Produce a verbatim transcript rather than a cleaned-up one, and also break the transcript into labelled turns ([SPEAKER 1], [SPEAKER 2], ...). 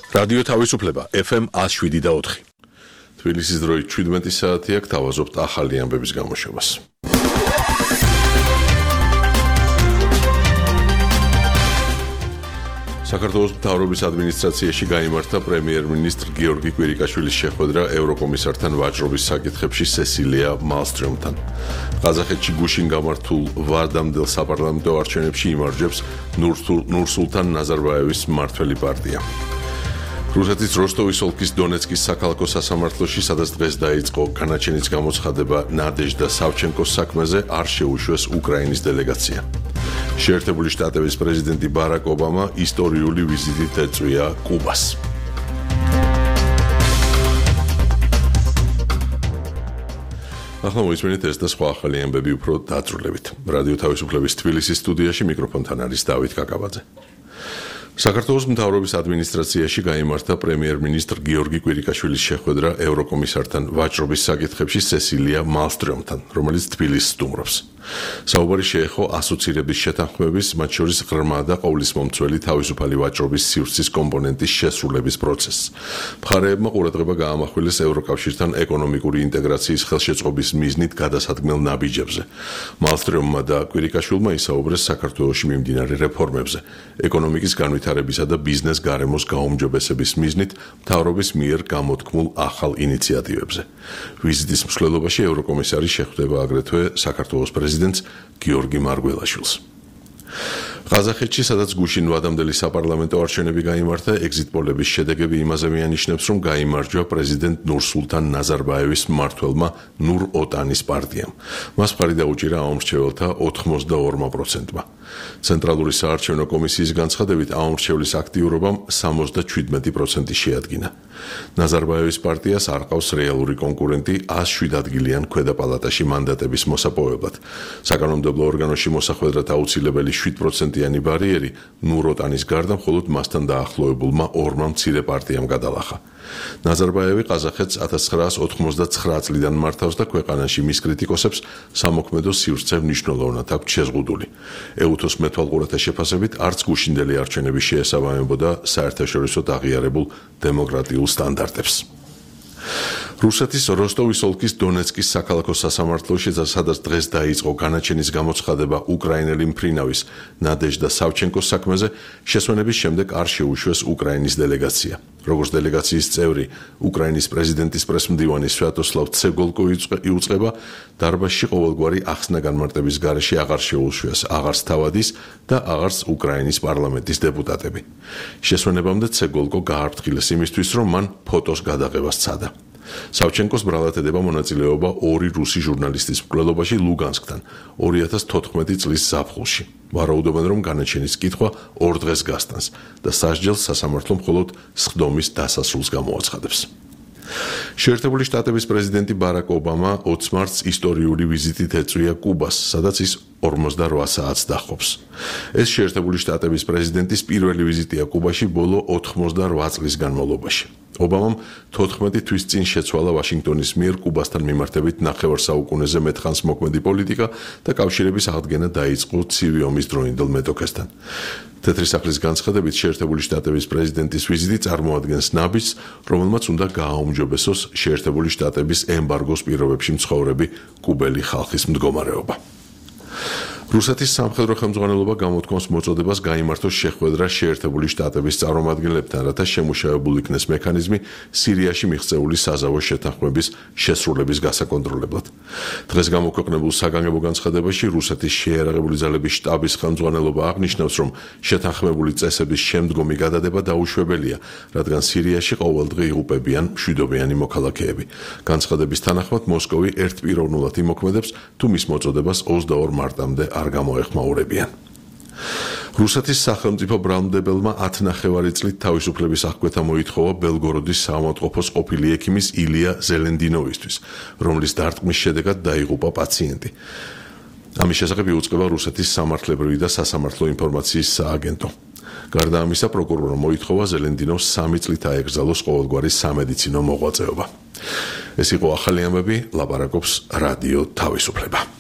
[SPEAKER 1] რადიო თავისუფლება F M one oh seven და four. თბილისის დროით შვიდმეტი საათი აქ თავაზობთ ახალი ამბების გამოშვებას. საქართველოს მთავრობის ადმინისტრაციაში გაიმართა პრემიერ-მინისტრ გიორგი კვირიკაშვილის შეხვედრა ევროკომისართან ვაჭრობის საკითხებში სესილია მალსტრომთან. ყაზახეთში გუშინ გამართულ ვადამდელ საპარლამენტო არჩევნებში იმარჯვებს ნურსულთან ნაზარბაევის მმართველი პარტია. რუსეთის როსტოვის ოლქის დონეცკის საქალაქო სასამართლოში, სადაც დღეს დაიწყო განაჩენის გამოცხადება ნადეჟდა სავჩენკოს საქმეზე, არ შეუშვეს უკრაინის დელეგაცია. შეერთებული შტატების პრეზიდენტი ბარაკ ობამა ისტორიული ვიზიტით ეწვია კუბას. ახლა მოისმენთ ეს და სხვა ახალი ამბები უფრო დაწვრილებით. რადიო თავისუფლების თბილისის სტუდიაში მიკროფონთან არის დავით კაკაბაძე. საქართველოს მთავრობის ადმინისტრაციაში გაიმართა პრემიერ-მინისტრ გიორგი კვირიკაშვილის შეხვედრა ევროკომისართან ვაჭრობის საკითხებში სესილია მალსტრომთან, რომელიც თბილისს სტუმრობს. საუბარი შეეხო ასოცირების შეთანხმების, მათ შორის ღრმა და ყოვლისმომცველი თავისუფალი ვაჭრობის სივრცის კომპონენტის შესრულების პროცესს. მხარეებმა ყურადღება გაამახვილეს ევროკავშირთან ეკონომიკური ინტეგრაციის ხელშეწყობის მიზნით გადასადგმელ ნაბიჯებზე. მალსტრომმა და კვირიკაშვილმა ისაუბრეს საქართველოში მიმდინარე რეფორმებზე, ეკონომიკის განვითარებისა და ბიზნეს გარემოს გაუმჯობესების მიზნით მთავრობის მიერ გამოთქმულ ახალ ინიციატივებზე. ვიზიტის მსვლელობაში ევროკომისარი შეხვდება აგრეთვე საქართველოს პრეზიდენტს გიორგი მარგველაშვილს. ყაზახეთში, სადაც გუშინ ვადამდელი საპარლამენტო არჩევნები გაიმართა, ეგზიტ პოლების შედეგები იმაზე მიანიშნებს, რომ გაიმარჯვა პრეზიდენტ ნურსულთან ნაზარბაევის მმართველმა ნურ ოტანის პარტიამ. მას მხარი დაუჭირა აუმრჩეველთა ოთხმოცდაორ პროცენტმა. ცენტრალური საარჩევნო კომისიის განცხადებით, აუმრჩევლის აქტიურობამ სამოცდაშვიდ პროცენტი შეადგინა. ნაზარბაევის პარტიას არ ყავს რეალური კონკურენტი ას შვიდ ადგილიან ქვედა პალატაში მანდატების მოსაპოვებლად. საკანონმდებლო ორგანოში მოსახვედრად აუცილებელი შვიდ პროცენტიანი ბარიერი ნურ ოტანის გარდა მხოლოდ მასთან დაახლოებულმა ორმა მცირე პარტიამ გადალახა. ნაზარბაევი ყაზახეთს ათას ცხრაას ოთხმოცდაცხრა წლიდან მართავს და ქვეყანაში მის კრიტიკოსებს სამოქმედო სივრცე მნიშვნელოვნად აქვს შეზღუდული. ეუთოს მეთვალყურეთა შეფასებით არც გუშინდელი არჩევნები შეესაბამებოდა საერთაშორისოდ აღიარებულ დემოკრატიულ სტანდარტებს. რუსეთის როსტოვის ოლქის დონეცკის საქალაქო სასამართლოში, სადაც დღეს დაიწყო განაჩენის გამოცხადება უკრაინელი მფრინავის ნადეჟდა სავჩენკოს საქმეზე, შესვენების შემდეგ არ შეუშვეს უკრაინის დელეგაცია. როგორც დელეგაციის წევრი, უკრაინის პრეზიდენტის პრესმდივანი სვიატოსლავ ცეგოლკო იუწყება, დარბაზში ყოველგვარი ახსნა-განმარტების გარეშე აღარ შეუშვეს აღარც თავადის და აღარც უკრაინის პარლამენტის დეპუტატები. შესვენებამდე ცეგოლკო გააფრთხილეს იმისთვის, რომ მან ფოტოს გადაღება სცადა. სავჩენკოს ბრალად ედება მონაწილეობა ორი რუსი ჟურნალისტის მკვლელობაში ლუგანსკთან ორი ათას თოთხმეტი წლის ზაფხულში. ვარაუდობენ, რომ განაჩენის კითხვა ორ დღეს გასტანს და სასჯელს სასამართლო მხოლოდ სხდომის დასასრულს გამოაცხადებს. შეერთებული შტატების პრეზიდენტი ბარაკ ობამა ოცი მარტს ისტორიული ვიზიტით ეწვია კუბას, სადაც ის ორმოცდაოთხ საათს დაჰყობს. ეს შეერთებული შტატების პრეზიდენტის პირველი ვიზიტია კუბაში ბოლო ოთხმოცდაოთხ წლის განმავლობაში. ობამამ თოთხმეტი თვის წინ შეცვალა ვაშინგტონის მიერ კუბასთან მიმართებით ნახევარ საუკუნეზე მეტხანს მოქმედი პოლიტიკა და კავშირების აღდგენა დაიწყო ცივი ომის დროინდელ მეტოქესთან. თეთრი სახლის განცხადებით, შეერთებული შტატების პრეზიდენტის ვიზიტი წარმოადგენს ნაბიჯს, რომელმაც უნდა გააუმჯობესოს შეერთებული შტატების ემბარგოს პირობებში მცხოვრები კუბელი ხალხის მდგომარეობა. რუსეთის სამხედრო ხელმძღვანელობა გამოთქვამს მოწოდებას გაიმართოს შეხვედრა შეერთებული შტატების წარმომადგენლებთან, რათა შემუშავებულ იქნეს მექანიზმი სირიაში მიღწეული საზავო შეთანხმების შესრულების გასაკონტროლებლად. დღეს გამოქვეყნებულ საგანგებო განცხადებაში რუსეთის შეიარაღებული ძალების შტაბის ხელმძღვანელობა აღნიშნავს, რომ შეთანხმებული წესების შემდგომი გადადება დაუშვებელია, რადგან სირიაში ყოველდღე იღუპებიან მშვიდობიანი მოქალაქეები. განცხადების თანახმად მოსკოვი ერთპიროვნულად იმოქმედებს, თუ მის მოწოდებას ოცდაორ მარტამდე არ გამოეხმაურებიან. რუსეთის სახელმწიფო ბრალმდებელმა ათი ნახევარი წლით თავისუფლების აღკვეთა მოითხოვა ბელგოროდის საავადმყოფოს ყოფილი ექიმის ილია ზელენდინოვისთვის, რომლის დარტყმის შედეგად დაიღუპა პაციენტი. ამის შესახებ იუწყება რუსეთის სამართლებრივი და სასამართლო ინფორმაციის სააგენტო. გარდა ამისა, პროკურორმა მოითხოვა ზელენდინოვს სამი წლით აეკრძალოს ყოველგვარი სამედიცინო მოღვაწეობა. ეს იყო ახალი ამბები, ლაპარაკობს რადიო თავისუფლება.